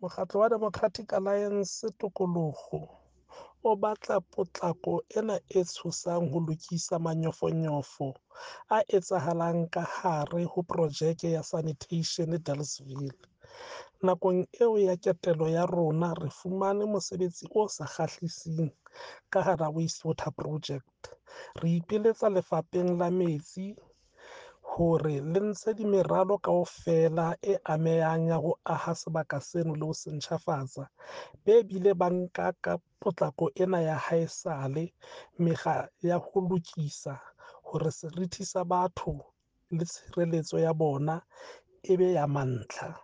Mokgatlo wa Democratic Alliance Tokoloho o batla potlako ena e tshosang ho lokisa manyofonyofo a etsahalang ka hare ho projeke ya sanitation Dealesville. Nakong eo ya ketelo ya rona re fumane mosebetsi o sa kgahliseng ka hara waste water project. Re ipiletsa lefapheng la metsi hore le ntshe di meralo kaofela e amehang ya ho aha sebaka seno le ho se ntjhafatsa. Be bile ba nka ka potlako ena ya haesale mekga ya ho lokisa hore serithi sa batho le tshireletso ya bona e be ya mantlha.